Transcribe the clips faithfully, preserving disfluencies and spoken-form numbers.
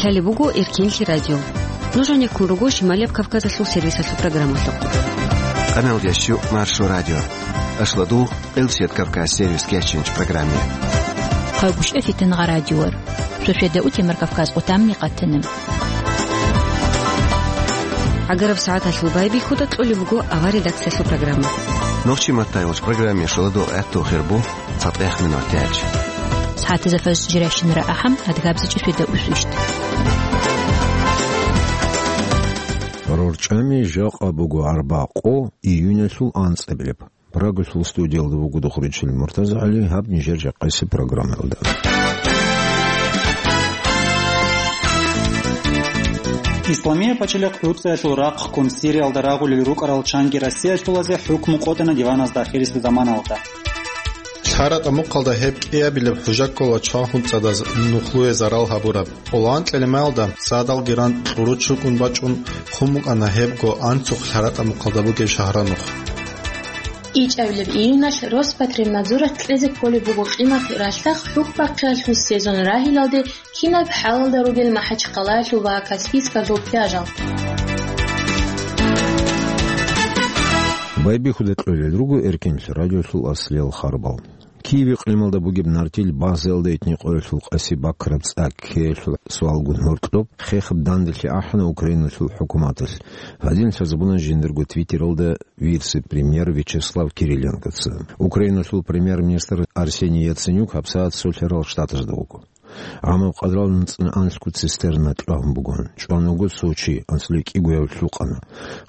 Лъалеб буго Эркенлъи радио. Нуж гьанеккун руго Шималияб Кавказалъул сервисалъул программалъухъ. Къаналдиясчу Маршо радио. Ашладу, Къилсият Кавказ сервис кечинч программе. Хъагушев Фитингъа радиор. Шошеда утемар Кавказ къутамни къатанам. Агараб сагӀаталъул байбихьуда кьолеб буго авар редакциялъул программа. Нохчи маттайвач программе шоладо гӀатту хирбу. ЦатӀехъ минутач. СагӀатазда фажр жиращинара ахӀам, адгабзичӀи шведа усвищ. РорчӀами жакъа буго арбакъо июнялъул анцӀабилеб. Прагалъул студиялда вуго Духричил МуртазагӀали, гьаб нижер жакъасеб программаялда. Исламия пачалихъ ГӀуцӀиялъул рахъ ккун Сириялда рагъулел рукӀарал чанги Россиялъулазе хӀукму къотӀана диваназда ахирисеб заманалда. ЛъаратӀа мухъалда гьеб кӀиабилеб хӀужа ккола чван хӀунцӀадаз нухлуе зарал гьабураб. Къолгьан кьелемаялда цадалги ран кьуру чукӀун бачӀун хъун букӀана гьебго анцухъ лъаратӀа мухъалда бугеб шагьранухъ. ИчӀабилеб июналъ Роспотребнадзоралъ кьезе кколеб буго къимат ралъдахъ хӀукбахъиялъул сезон рагьилалде кинаб хӀалалда ругел МахӀачхъалаялъул ва Каспийскалъул пляжал. Байбихьуда кьолел руго Эркенлъи радиолъул аслиял харбал. Киев икълималда бугеб Нартил базаялда этникъоялъул къаси бакраб цӀа ккеялъул суалгун гьоркьоб хехаб данделъи ахӀана Украиналъул хӀукуматалъ. Гьадин лъазабуна жиндирго Твиттералда вице-премьер Вячеслав Кириленкоца. Украиналъул премьер-министр Арсений Яценюк гьабсагӀат Солъарал Штатазда вуго. ГӀамаб къадрал нуцӀна анлъго цистерна кьвагьун бугоан. ЧӀван вуго цо чи, анцӀила кӀигояв лъукъана.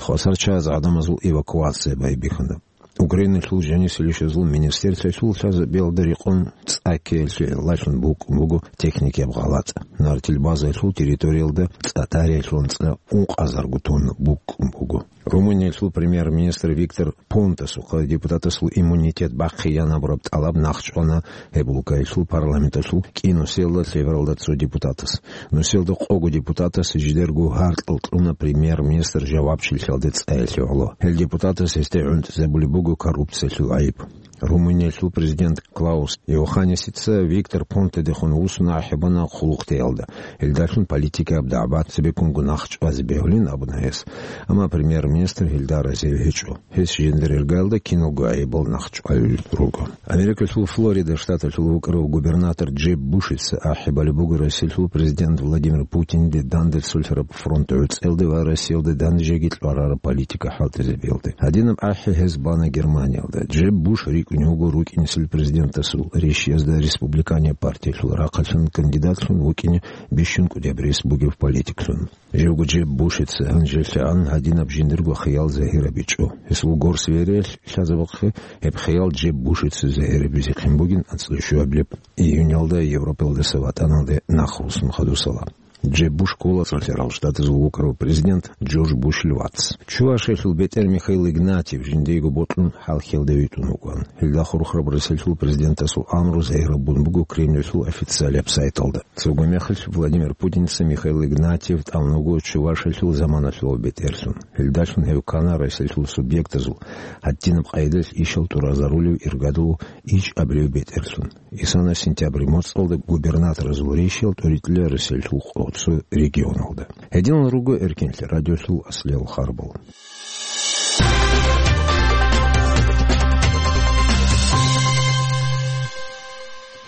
Хвасар чаяз гӀадамазул эвакуация байбихьана. Украиналъул жанисел ишазул министерствоялъул лъазабиялда рекъон цӀа ккеялъе лъалъун букӀун буго техникияб гъалатӀ. Нартил базаялъул территориялда цӀа тариялъул анцӀила ункъазарго тонна букӀун буго. Румыниялъул премьер-министр Виктор Понтасухъа депутатасул иммунитет бахъиянабураб тӀалаб нахъчӀвана гьеб улкаялъул парламенталъул кӀинусиялда лъебералда цо депутатас. Нусиялда къого депутатас жидерго гьаркьал кьуна премьер-министр жавабчилъиялде цӀаялъе гӀоло. Гьел депутатас гьесде гӀунтӀизабулеб буго коррупциялъул гӀайиб. Румыниялъул президент Клаус Иоханнисица Виктор Понтедехун вуссуна ахӀи бана хъулухътеялда. Гьелдалъун политикаяб дагӀба цебеккунго нахъ чӀвазе бегьулин абуна гьес. Амма премьер-министр гьелда разив гьечӀо. Гьес жиндир иргаялда киналго гӀайибал нахъ чӀвалел руго. Америкалъул Флорида штаталъул вукӀарав губернатор Джеб Бушица ахӀи балеб буго Россиялъул президент Владимир Путинде данде цолъараб фронт гӀуцӀелде ва Россиялде данде жеги кьварараб политика хӀалтӀизабиялде. Гьадинаб ахӀи гьез бана Германиялда. Джеб Буш рикӀкӀунев вуго рукӀинесел президентасул рещиязда республиканияб партиялъул рахъалъан кандидатлъун вукӀине бищун кӀудияб рес бугев политиклъун. Живго Джеб Бушица гьанжелъагӀан гьадинаб жиндирго хиял загьирабичӀо. Гьесул горсвериялъ лъазабахъе гьеб хиял Джеб Бушица загьирабизехъин бугин анцӀила щуабилеб июньалда Европалдаса ватӀаналде нахъ руссун хадусала. Джеб Буш ккола Цолъарал Штатазул вукӀарав президент Джордж Бушил вац. Чувашиялъул бетӀер Михаил Игнатьев жиндиего бокьун хӀалхьиялде витӀун вукӀан. Гьелда хурхараб Россиялъул президентасул амру загьирабун буго Кремльалъул официалияб сайталда. Цого мехалъ Владимир Путинца Михаил Игнатьев тӀамун вуго Чувашиялъул заманалъул бетӀерлъун. Гьелдалъун гьев ккана Россиялъул субъектазул гьадинаб къайдалъ ишал тӀуразарулев иргадулев ичӀабилев бетӀерлъун. Исана сентябрь моцӀалда губернаторазул рещиялъ тӀоритӀила Россиялъул къо-, цо регионалда. Гьединал руго Эркенлъи радиолъул аслиял харбал.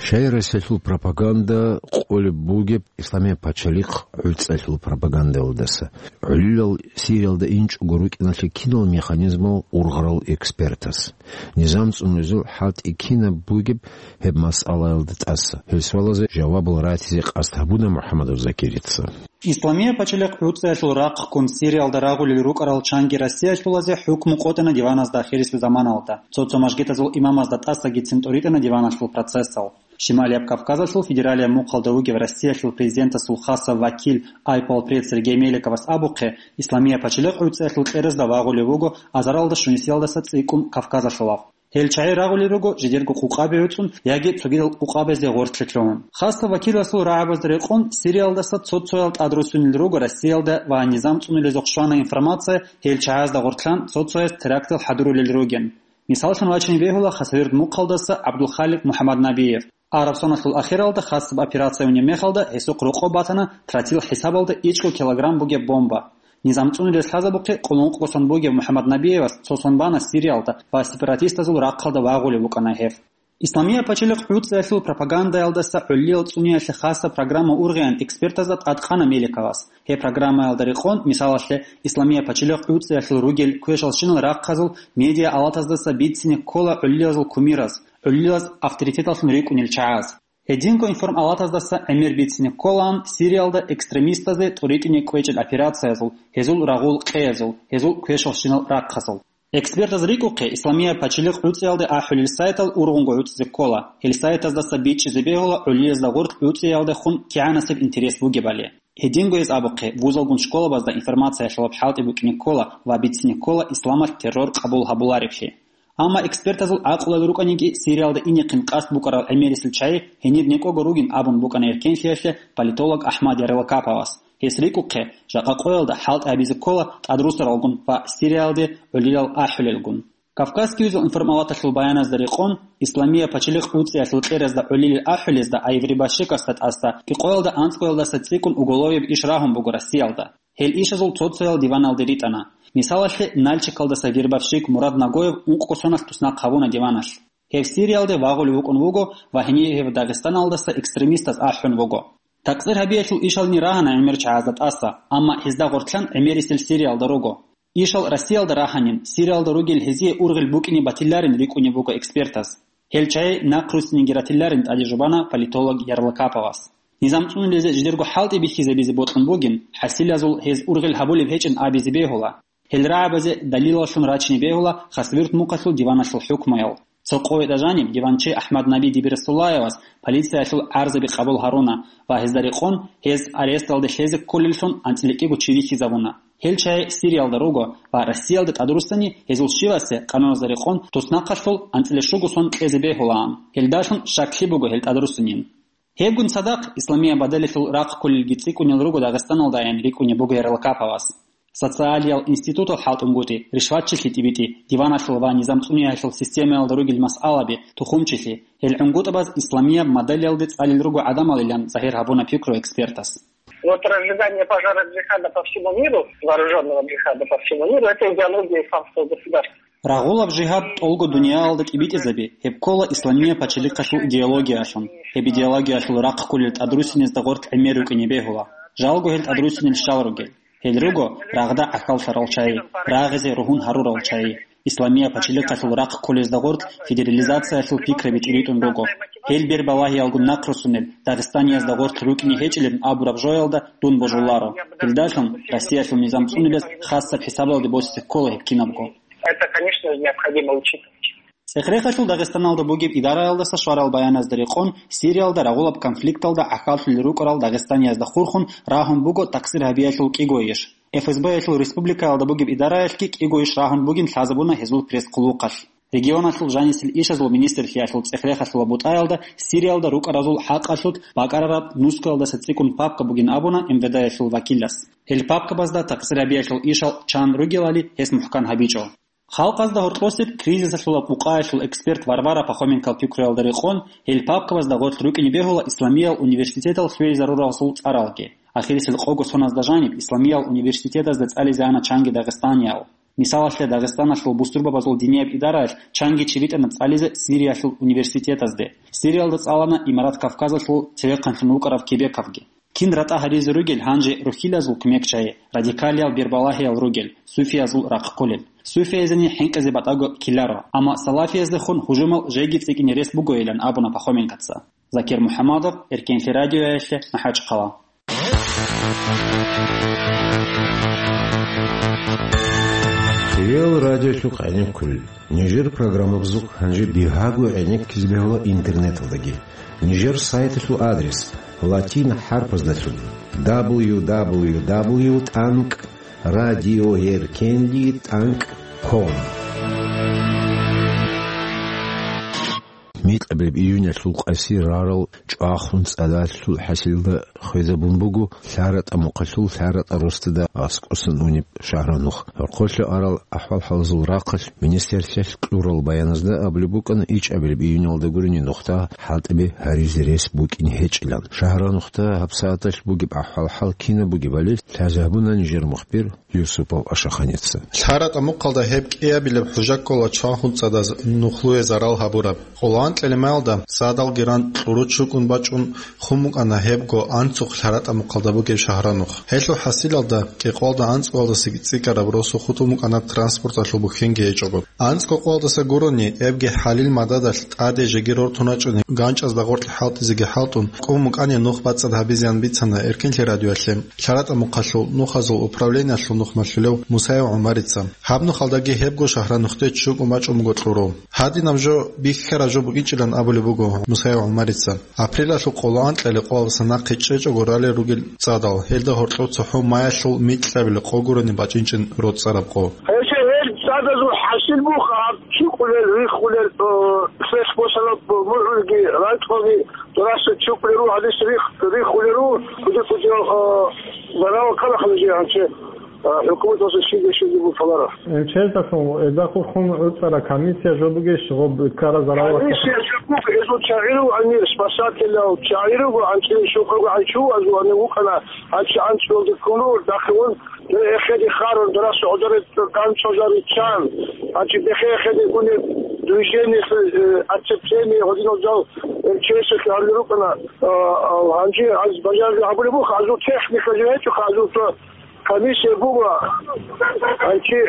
Щай Россиялъул пропаганда къолеб бугеб Исламияб пачалихъ гӀуцӀалъул пропагандалдаса? ГӀолилал Сириялда инчӀого рукӀиналъе кинал механизмал ургъарал экспертас? Низам цӀунулезул хӀалтӀи кинаб бугеб гьеб масъалаялда тӀаса? Гьел суалазе жавабал ратизе къасд гьабуна МухӀаммадов Закирица. Исламия пачалихъ гӀуцӀиялъул рахъ ккун Сириялда рагъулел рукӀарал чанги Россиялъулазе хӀукму къотӀана диваназда ахирисел заманалда. Цо-цо мажгитазул имамазда тӀасагицин тӀоритӀана диваналъул процессал. Шималияб Кавказалъул федералияб мухъалда вугев Россиялъул президентасул хасав вакил, айпалпред Сергей Меликовас абухъе, Исламия пачалихъ гӀуцӀиялъул кьеразда вагъулев вуго азаралда щунисиялдаса цӀикӀкӀун Кавказалъулав. Гьел чагӀи рагъулел руго жидерго къукъабе гӀуцӀун яги цогидал къукъабазде гъорлъе лъугьун. Хасав вакиласул рагӀабазда рекъон Сириялдаса цо-цоял тӀадруссунел руго Россиялда ва низам цӀунулезухъ щвана информация гьел чагӀазда гъорлъан цо-цояс терактал хӀадурулел ругин. Мисаллъун вачине бегьула Хасавюрт мухъалдаса ГӀабдулхаликъ МухӀаммаднабиев. Араб соналъул ахиралда хасаб операция унеб мехалда гьесухъ рокъоб батана тротил хӀисабалда ичӀго килограмм бугеб бомба. Низам цӀунулес лъазабухъе къуллукъго сон бугев МухӀаммад Набиевас цо сон бана Сириялда ва сепаратистазул рахъалда вагъулев вукӀана гьев. Исламия пачалихъ гӀуцӀиялъул пропагандаялдаса гӀоллиял цӀуниялъе хасаб программа ургъеян экспертазда тӀадкъана Меликовас. Гьеб программаялда рекъон, мисалалъе, Исламия пачалихъ гӀуцӀиялъул ругел квешалщинал рахъазул медиа алатаздаса бицине ккола гӀоллиязул кумираз, гӀоллилаз авторитеталлъун рикӀкӀунел чагӀаз. Гьединго информалатаздаса гӀемер бицине кколаан Сириялда экстремистазде тӀуритӀине кӀвечӀел операциязул, гьезул рагъул къеязул, гьезул квешалщинал рахъазул. Экспертаз рикӀухъе, Исламия пачалихъ гӀуцӀиялде ахӀулел сайтал ургъунго гӀуцӀизе ккола. Гьел сайтаздаса бичӀчӀизе бегьула гӀоллиязда гъоркь гӀуцӀиялдехун кигӀанасеб интерес бугебали. Гьединго гьез абухъе, вузалгун школабазда информациялъулаб хӀалтӀи букӀине ккола ва бицине ккола исламалъ террор къабул гьабулареблъи. Амма экспертазул гӀакълуялда рукӀаниги, Сириялда инехъин къасд букӀарал гӀемерисел чагӀи гьенир некӀого ругин абун букӀана эркенлъиялъе политолог Ахмад Ярлакаповас. Гьес рикӀухъе, жакъа къоялда хӀалтӀи гьабизе ккола тӀадрусаралгун ва Сириялде гӀолилал ахӀулелгун. Кавказский узел информалаталъул баяназда рекъон, Исламия пачалихъ гӀуцӀиялъул кьеразда гӀолилел ахӀулезда Айври Башикасда тӀасда къоялда анцӀгоялдаса цӀикӀкӀун уголовияб иш рагьун буго Россиялда. Гьел ишазул цо-цоял диваналде ритӀана. Мисалалъе, Нальчикалдаса вербовщик Мурад Нагоев ункъго соналъ туснахъ гьабуна диваналъ. Гьев Сириялде вагъулев вукӀун вуго ва гьенив гьев Дагъистаналдаса экстремистаз ахӀун вуго. Такъсир гьабиялъул ишални рагьана гӀемер чагӀазда тӀаса, амма гьезда гъоркьан гӀемерисел Сириялда руго. Ишал Россиялда рагьанин, Сириялда ругел гьезие ургъел букӀине батиларин рикӀкӀунеб буго экспертаз. Гьел чагӀи нахъруссиниги ратиларин тӀаде жубана политолог Ярлакаповас. Низам цӀунулезе жидерго хӀалтӀи бихьизабизе бокьун бугин, хӀасилазул гьез ургъел гьабулеб гьечӀин абизе бегьула. Гьел рагӀабазе далилаллъун рачине бегьула Хасавюрт мухъалъул диваналъул хӀукмуял. Цо къоялда жаниб диванчи Ахмад Наби Дибирасуллаевас полициялъул гӀарзаби къабул гьаруна ва гьезда рекъон гьез аресталде лъезе кколеллъун анцӀила кӀиго чи вихьизабуна. Гьел чагӀи Сириялда руго ва Россиялда тӀадруссани гьезул щивасе къануналда рекъон туснахъалъул анцӀила щуго сон кьезе бегьулаан. Гьелдалъун щаклъи буго гьел тӀадруссинин. Гьебгун цадахъ, Исламия бадалилъул рахъ кколелги цӀикӀкӀунел руго Дагъистаналдайин рикӀкӀунеб буго Ярлакаповас. Социалиял институтал хӀалтӀунгутӀи, ришватчилъи тӀибитӀи, диваналъул ва низам цӀуниялъул системаялда ругел масъалаби, тухумчилъи, гьел гӀунгутӀабаз Исламияб мадалиялде цӀалел руго гӀадамалилан загьир гьабуна пикру экспертас. Вот разжигание пожара джихада по всему миру, вооружённого джихада по всему миру, это идеология исламского государства. Рагъулаб жигьад тӀолго дуниялалда кӀибитӀизаби, гьеб ккола Исламия пачалихъалъул идеологиялъун. Гьеб идеологиялъул рахъ кколел тӀадруссинезда гъоркь гӀемер рукӀине бегьула. Жалго гьел тӀадруссинел щал ругел. Гьел руго рагъда гӀахьаллъарал чагӀи, рагъизе ругьун гьарурал чагӀи. Исламия пачалихъалъул рахъ кколезда гъоркь федерализациялъул пикраби тӀиритӀун руго. Гьел бербалагьиялгун нахъруссунел Дагъистаниязда гъоркь рукӀине гьечӀилан абураб жоялда дун божуларо. Гьелдалъун Россиялъул низам цӀунулес хасаб хӀисабалде босизе ккола гьеб кинабго. Это, конечно, необходимо учитывать. ЦӀехерехалъул Дагъистаналда бугеб идараялдаса щварал баяназда рекъон, Сириялда рагъулаб конфликталда гӀахьаллъулел рукӀарал Дагъистаниязда хурхун рагьун буго такъсир гьабиялъул кӀиго иш. ФСБ-ялъул республикаялда бугеб идараялъги кӀиго иш рагьун бугин лъазабуна гьезул пресс-хъулухъалъ. Регионалъул жанисел ишазул министрлъиялъул цӀехерехалъула бутӀаялда Сириялда рукӀаразул хӀакъалъулъ бакӀарараб нускалдаса цӀикӀкӀун папка бугин абуна МВД-ялъул вакилас. Гьел папкабазда такъсир гьабиялъул ишал чан ругелали гьес мухӀкан гьабичӀо. Халкъазда гьоркьосеб кризисалъула къукъаялъул эксперт Варвара Пахоменкал пикруялда рекъон, гьел папкабазда гъоркь рукӀине бегьула Исламиял университетал лъугьинаруралъул цӀаралги. Ахирисел къого соназда жаниб Исламиял университетазда цӀализе ана чанги дагъистаниял. Мисалалъе, Дагъистаналъул бусурбабазул динияб идараялъ чанги чи битӀана цӀализе Сириялъул университетазде. Сириялда цӀалана Имарат Кавказалъул цевехъанлъун вукӀарав Кебековги. Кин ратӀа гьаризе ругел гьанже рухьилазул кумекчагӀи, радикалиял бербалагьиял ругел, суфиязул рахъ кколел. Суфиязени хӀинкъизе батӀаго ккеларо, амма салафияздехун гьужумал жеги цӀикӀкӀине рес бугойилан абуна Пахоменкоца. Закир МухӀаммадов, Эркенлъи радиоялъе, МахӀачхъала. Реал радиолъухъ гӀенеккулел. Нижер программабазухъ гьанже бигьаго гӀенеккизе бегьула интернеталдаги. Нижер сайталъул адрес латин хӀарпаздалъун: дабл ю дабл ю дабл ю тӀанкӀ радиоэркенли тӀанкӀ ком. микьабилеб июнялъул къаси рарал чӀвахун цӀадалъул хӀасилда хвезабун буго ЛъаратӀа мухъалъул ЛъаратӀа росдада аскӀосан унеб шагьранухъ. Гьоркьолъа арал ахӀвал-хӀалазул рахъалъ министрлъиялъ кьурал баяназда абулеб букӀана ичӀабилеб июнялда гурени нухда хӀалтӀиби гьаризе рес букӀин гьечӀилан. Шагьранухъда гьабсагӀаталъ бугеб ахӀвал-хӀал кинаб бугебали лъазабуна нижер мухбир Юсупов Ашаханица. ЛъаратӀа мухъалда гьеб кӀиабилеб хӀужа ккола чвахун цӀадаз нухлуе зарал гьабураб. Къоло анкьилеб маялда цӀадал геран кьуру чукӀун бачӀун хун букӀана гьебго анцӀухъ ЛъаратӀа мухъалда бугеб шагьранухъ. Гьелъул хӀасилалда кӀикъоялда анцӀгоялдасаги цӀикӀкӀараб росу хутӀун букӀана транспорталъул бухьенги гьечӀого. АнцӀго къоялдаса гурони, эбги хӀалил мададалъ тӀаде жеги рортун рачӀуни, ганчӀазда гъоркь хӀалтӀизеги хӀалтӀун, кӀун букӀани нух бацӀцӀад гьабизеян бицана Эркенлъи радиоялъе ЛъаратӀа мухъалъул нухазул управлениялъул нухмалъулев Мусаев ГӀумарица. Гьаб нухалдаги гьебго шагьранухъде чукӀун бачӀун буго кьуру. Гьадинаб жо бихьараб жо букӀинчӀилан абулеб буго Мусаев ГӀумарица. Апрелалъул къоло анкьалил къоялдаса нахъе чӀечӀого ралел ругел цӀадал, гьелда гьоркьов цохӀо маялъул микьабилеб къо гурони бачӀинчӀин роцӀцӀараб къо. Гьелъ гьел цӀадазул хӀасил буго гьаб чукӀулел, риххулел, э, лъелъ босараб мугӀрулги, ракьалги, дураса чукӀулел руго, гьадис рих-, риххулел руго, куди-куди, э, зарал ккарахъа нужее гьанже, э, хӀукуматалъул щиб-щиб бугеб лъаларо. Э, чездалъун, э, эзда хурхун гӀуцӀараб комиссия жо бугищ, гъоб ккараб зарал? Комиссия жо буго, эзул чагӀи руго, амир, спасателял чагӀи руго, анцӀила щокъого гӀанчу, азул ани вукӀана, анцӀ-, анцӀ жолда ккун руго, дахъе ун, Эхеде харун, дарас гӀодоре ганчӀвазариччан, гьанчи бехе эхеде гунеб движение, э, отцепление гьодинал жал МЧС-алъе гьарулел рукӀана, а, а, гьанже аз бажарли гьабулеб буха, азул техника жо гьечӀоха, азул цо комиссия буго, гьанчи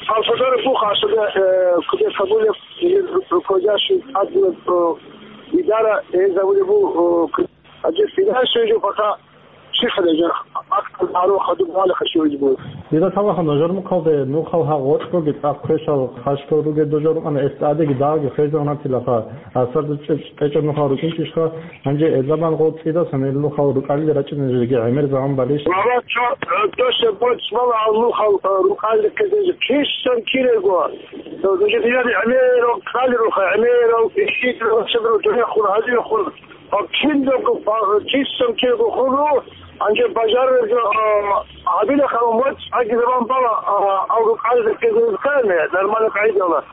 Салсадар буха, асада, э, кудес гьабулеб, э, руководящий админ, э, идара, э, гьабулеб бу, э, Гьанже финансиялъе пока чихъана жо, акъ гьарун хадуб гьалихъа щвезе буго. Дида таваха, нажер мухъалде нухал гьа гъоркьоги цӀакъ квешал хъащтал ругел дожор рукӀана, эс тӀадеги дагьги хвезегӀан гьатилаха, асар кьечӀеб нухал рукӀинчӀищха, гьанже эзабан гъол цӀидасан гьел нухал рукӀалил рачӀинеги гӀемер заман балищ? Баба, чо, э, досе боцӀ бала гьал нухал, э, рукӀалил ккезеги кисан кирего. Э, нужер динар гӀемерал ккалируха, гӀемерал иши, дурехун, гьадинахун. Гьаб киналго ба-, чисан кирго хъулу, гьанже бажарарго, а, гьабилахъа, моцӀ гьаги заман бала, а, авру къайда ккезаризхъани, нормально къайдала.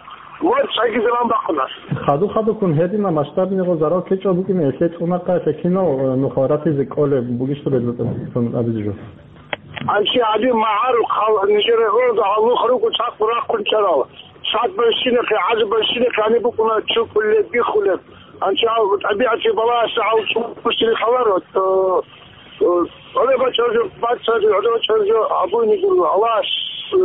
МоцӀ гьаги заман бахъуна. Хаду-хадуккун гьедина масштабниго зарал ккечӀеб букӀине, эсе цӀунахъа, эсе кинал, э, нухал ратизе кӀолеб бугищ, абизе жо. Анци гьадин магӀарухъ гьал нижер гӀурда гьалухъ руго цӀакъ рахъун чӀарал. Цад байсинахъе, гӀаз байсинахъе гьаниб букӀуна чукулеб, биххулеб. Анци гьал тӀабигӀатги балагьаса гьал чӀухӀусине лъаларо. Э, э, гьале бачӀаржо, бацӀцӀаги гьале бачӀаржо гьабуйни гуро. Аллагьас, э,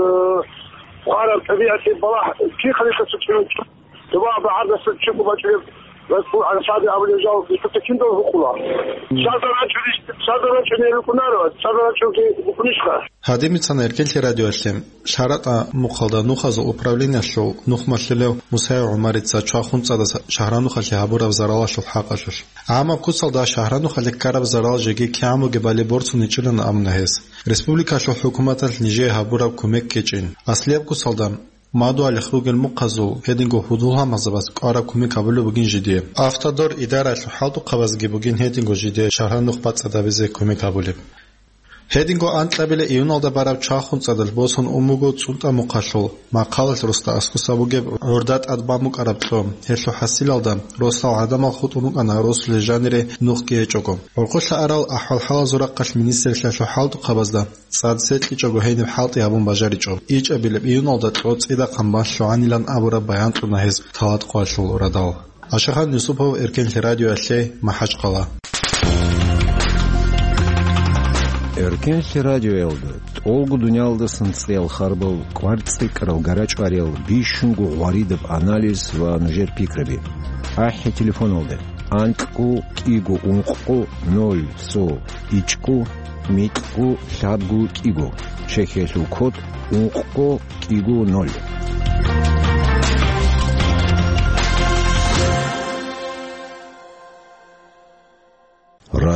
хъвараб тӀабигӀатги балагь, кихъ рихъаса чӀун чӀун. Дуба багӀардаса чӀухӀу бачӀунеб, расул гӀарсаби абулеб жал, ишбатда киндал гьукъула. Садар рачӀуни, садар рачӀуни рукӀунаро, садар рачӀунги букӀунищха? Гьадин бицана Эркенлъи радиоялъе ЛъаратӀа мухъалда нухазул управлениялъул нухмалъулев Мусаев ГӀумарица чвахун цӀадаса шагьранухалъе гьабураб заралалъул хӀакъалъулъ. ГӀамаб куцалда шагьранухалъе ккараб зарал жеги кигӀан бугебали борцуничӀилан абуна гьес. Республикалъул хӀукуматалъ нижее гьабураб кумек ккечӀин. Аслияб куцалда мадугьалихъ ругел мухъазул гьединго гьудул-гьалмагъзабаз кӀвараб кумек гьабулеб бугин жидее. Автодор идараялъул хӀалтӀухъабазги бугин гьединго жидее шагьранухъ бацӀцӀадабизе кумек гьабулеб. Гьединго анкьабилеб июналда бараб чвахун цӀадалъ босун ун буго ЦӀунтӀа мухъалъул Махъалалъ росда аскӀоса бугеб гӀурда тӀад бан букӀараб кьо. Гьелъул хӀасилалда росал гӀадамал хутӀун рукӀана росулъе жанире нухги гьечӀого. ГӀурхъулъа арал ахӀвал-хӀалазул рахъалъ министрлъиялъул хӀалтӀухъабазда цӀад секьичӀого гьениб хӀалтӀи гьабун бажаричӀо. ИчӀабилеб июналда кьо цӀидахъан бан лъугӀанилан абураб баян кьуна гьез Талат къоялъул радал. Ашахан Юсупов, Эркенлъи радиоялъе, МахӀачхъала. Эркенлъи радиоялда тӀолго дуниялдасан цӀеял харбал, кӀвар цӀикӀкӀарал, гарачӀвариял, бищунго гъваридаб анализ ва нужер пикраби. АхӀи телефоналда: анкьго кӀиго ункъго ноль цо ичӀго микьго лъабго кӀиго, чехьиялъул код ункъго кӀиго ноль.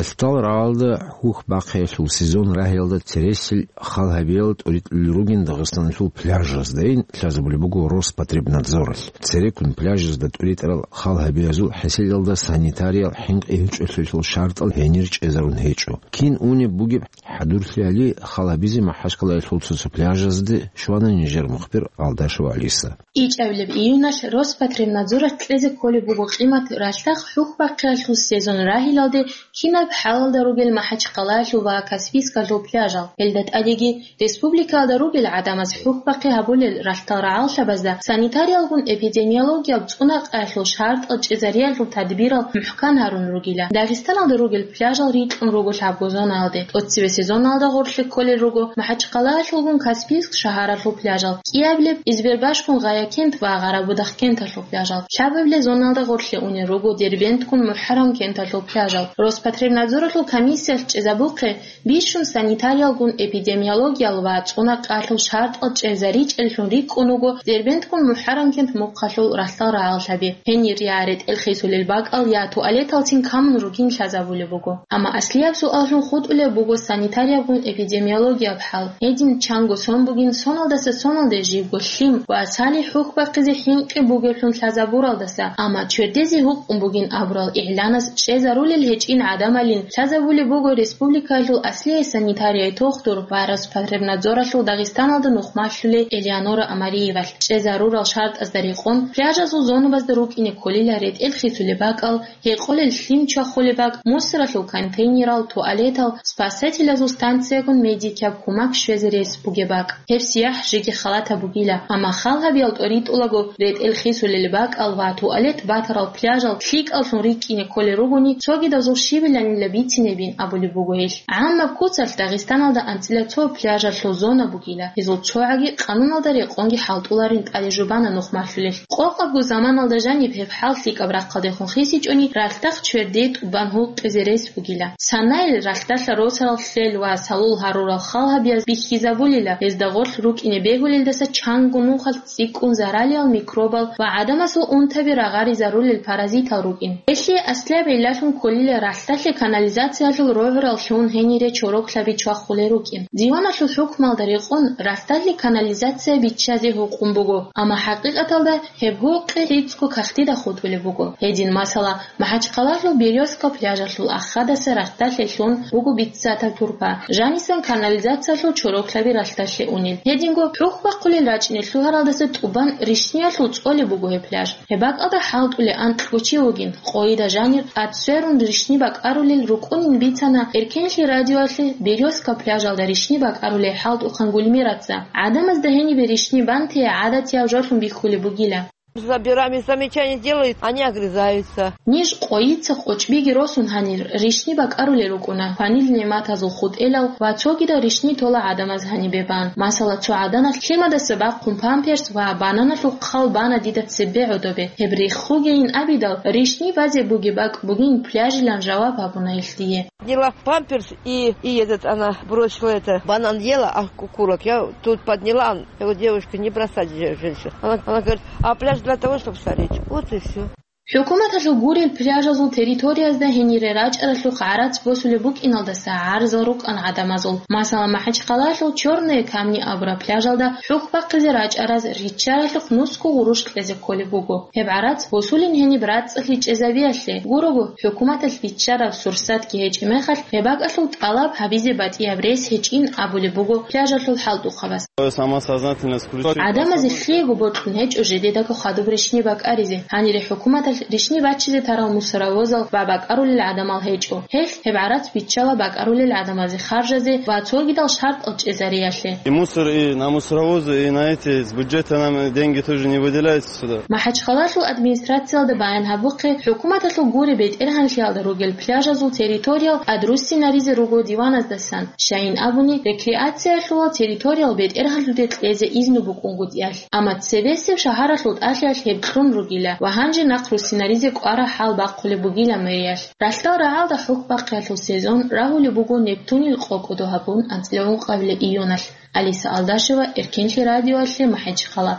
Ралъдал рагӀалда хьухь бахъиялъул сезон рагьиялда цересел хал гьабиялда тӀоритӀулел ругин Дагъистаналъул пляжаздайин лъазабулеб буго Роспотребнадзоралъ. Цереккун пляжазда тӀоритӀарал хал гьабиязул хӀеселалда санитариял хӀинкъи гьечӀолъиялъул шартӀал гьенир чӀезарун гьечӀо. Кин унеб бугеб хӀадурлъи гьали хал гьабизе МахӀачкъалаялъул цо-цо пляжазде щвана нижер мухбир Алдашев Алиса. ИчӀабилеб июналъ Роспотребнадзоралъ кьезе кколеб буго къимат ралъдал хьухь бахъиялъул сезон рагьилалде кинаб хӀалалда ругел МахӀачкъалаялъул ва Каспийскалъул пляжал. Гьелда тӀадеги республикаялда ругел гӀадамаз хьухь бахъи гьабулел ралъдал рагӀаллъабазда санитариялгун-эпидемиологияб цӀунакъаялъул шартӀал чӀезариялъул тадбирал мухӀкан гьарун ругила. Дагъистаналда ругел пляжал рикьун руго лъабго зонаялде. ТӀоцебе сезоналда гъорлъе кколел руго МахӀачкъалаялъулгун Каспийск шагьаралъул пляжал, кӀиабилеб Избербашгун Гъаякент ва Гъарабудахъ кенталъул пляжал, лъабабилеб зоналда гъорлъе унел руго Дербенткун МухӀаррам кенталъул пляжал. Роспотребнадзоралъул комиссиялъ чӀезабухъе бищун санитариялгун-эпидемиологиял ва цӀунакъаялъул шартӀал чӀезаричӀеллъун рикӀкӀун вуго Дербенткун МухӀаррам кент мухъалъул ралъдал рагӀаллъаби. Гьенир я ретӀел хисулел бакӀал, я туалеталцин камун ругин лъазабулеб буго. Амма аслияб суаллъун хутӀулеб буго санитариябгун эпидемиологияб хӀал. Гьедин чанго сон бугин соналдаса соналде живго лъим ва салихӀ хьухь бахъизе хӀинкъи бугеблъун лъазабуралдаса, амма чердезе гьукъун бугин абурал игӀланас чӀезарулел гьечӀин гӀадамалин лъазабулеб буго республикаялъул аслияй санитарияй тухтур ва Роспотребнадзоралъул Дагъистаналда нухмалъулей Элеонора Амариевалъ. ЧӀезарурал шартӀазда рекъон, пляжазул зонабазда рукӀине кколила ретӀел хисулеб бакӀал, гьекъолел лъим чвахулеб бакӀ, мусоралъул контейнерал, туалетал, спасателазул станциягун медикияб кумак щвезе рес бугеб бакӀ. Гьеб сияхӀ жеги халатаб бугила, амма хал гьабиял тӀоритӀулаго ретӀел хисулел бакӀал ва туалет батарал пляжал лъикӀаллъун рикӀкӀине кколел ругони, цогидазул щибиланила бицинебин абулеб буго гьелъ. ГӀаммаб куцалъ Дагъистаналда анцӀила цо пляжалъул зона бугила, гьезул цогӀаги къануналда рекъонги хӀалтӀуларин тӀаде жубана нухмалъулел. Къокъабго заманалда жаниб гьеб хӀал лъикӀаб рахъалдехун хисичӀони, ралъдахъ чверде тӀубан гьукъизе рес бугила. Санайил ралъдалъа росарал лъел ва салул гьарурал хал гьабияз бихьизабулила, гьезда гъорлъ рукӀине бегьулелдаса чанго нухалъ цӀикӀкӀун заралиял микробал ва гӀадамасул унтаби рагъаризарулел паразитал рукӀин. Гьелъие аслияб гӀиллалъун кколила ралъдалъе канализациялъул рогӀурал лъун гьенире чороклъаби чвахулел рукӀин. Диваналъул хӀукмалда рекъон ралъдалъе канализация биччазе гьукъун буго, амма хӀакъикъаталда гьеб гьукъи лъицӀго кагътида хутӀулеб буго. Гьедин, масала, МахӀачхъалалъул Берёзка пляжалъул ахадаса ралъдалъе лъун буго биццатаб турпа, жанисан канализациялъул чороклъаби ралъдалъе унел. Гьединго хӀухь бахъулел рачӀине лъугьаралдаса тӀубан ришниялъул цӀолеб буго гьеб пляж. Гьеб бакӀалда хӀалтӀулей анкьго чи вугин, къойида жанир тӀад сверун ришни бакӀарулел рукӀунин бицана Эркенлъи радиоялъе Берёзка пляжалда ришни бакӀарулей хӀалтӀухъан Гульмираца. ГӀадамазда гьенибе ришни бантей гӀадатияв жолъун бихьулеб бугила. Забираем, замечания делают, они огрызаются. Ниж къойица къочӀбиги росун гьанир ришни бакӀарулел рукӀуна, кванил нигӀматазул хутӀелал ва цогидал ришни тола гӀадамаз гьанибе бан. Масала, цо гӀаданалъ лъимадаса бахъун памперс ва бананалъул хъал бана дида цебе гӀодобе. Гьеб рехугейин абидал, ришни базе бугеб бакӀ бугин пляжилан жаваб гьабуна илъ дие. Подняла памперс и, и этот, она бросила это, банан ела, а курок. Я тут подняла, он, я говорю: «Девушка, не бросать же женщин». Она, она говорит: «А пляж для того, чтобы стареть». Вот и всё. ХӀукуматалъул гурел пляжазул территориязда гьенире рачӀаралъухъ гӀарац босулеб букӀиналдаса гӀарзал рукӀана гӀадамазул. Масала, МахӀачхъалалъул Чёрные камни абураб пляжалда хӀухь бахъизе рачӀараз риччаралъухъ нусго гъурущ кьезе кколеб буго. Гьеб гӀарац босулин гьениб рацӀцӀалъи чӀезабиялъе гурого, хӀукуматалъ биччараб сурсатги гьечӀеб мехалъ, гьеб бакӀалъул тӀалаб гьабизе батӀияб рес гьечӀин абулеб буго пляжалъул хӀалтӀухъабаз. Самосознательность включить. ГӀадамазе лъиего бокьун гьечӀо жидедаго хадуб ришни бакӀаризе. Гьанире хӀукуматалъ ришни бачизе тарал мусоровозал ва бакӀарулел гӀадамал гьечӀо. Гьелъ гьеб гӀарац биччала бакӀарулел гӀадамазе харжазе ва цогидал шартӀал чӀезариялъе. И мусор, и на мусоровозы, и на эти, с бюджета нам деньги тоже не выделяются сюда. МахӀачхъалалъул администрациялда баян гьабухъе, хӀукуматалъул гуре бетӀергьанлъиялда ругел пляжазул территориял тӀадруссинаризе руго диваназдасан. Щайин абуни, рекреациялъулал территориял бетӀергьанлъуде кьезе изну букӀунгутӀиялъ. Амма цебесеб шагьаралъул тӀалъиялъ гьеб кьун ругила ва гьанже нахъруссинаризе кӀвара хӀал бахъулеб бугила мэриялъ. Ралъдал рагӀалда хӀухь бахъиялъул сезон рагьулеб буго Нептунил къо-кӀодо гьабун анцӀила ункъабилеб июналъ. Алиса Алдашева, Эркенлъи радиоялъе, МахӀачхъала.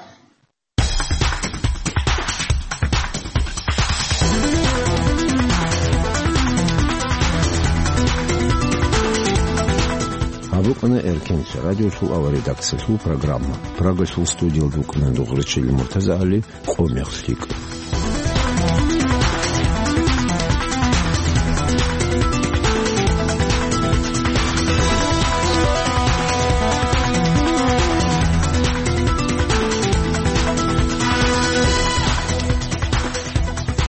Ана Эркенлъи радиолъул авария редакциялъул программа. Прагалъул студиялда вукӀана дугъричӀел Муртаза Али, къо мехлъикӀ.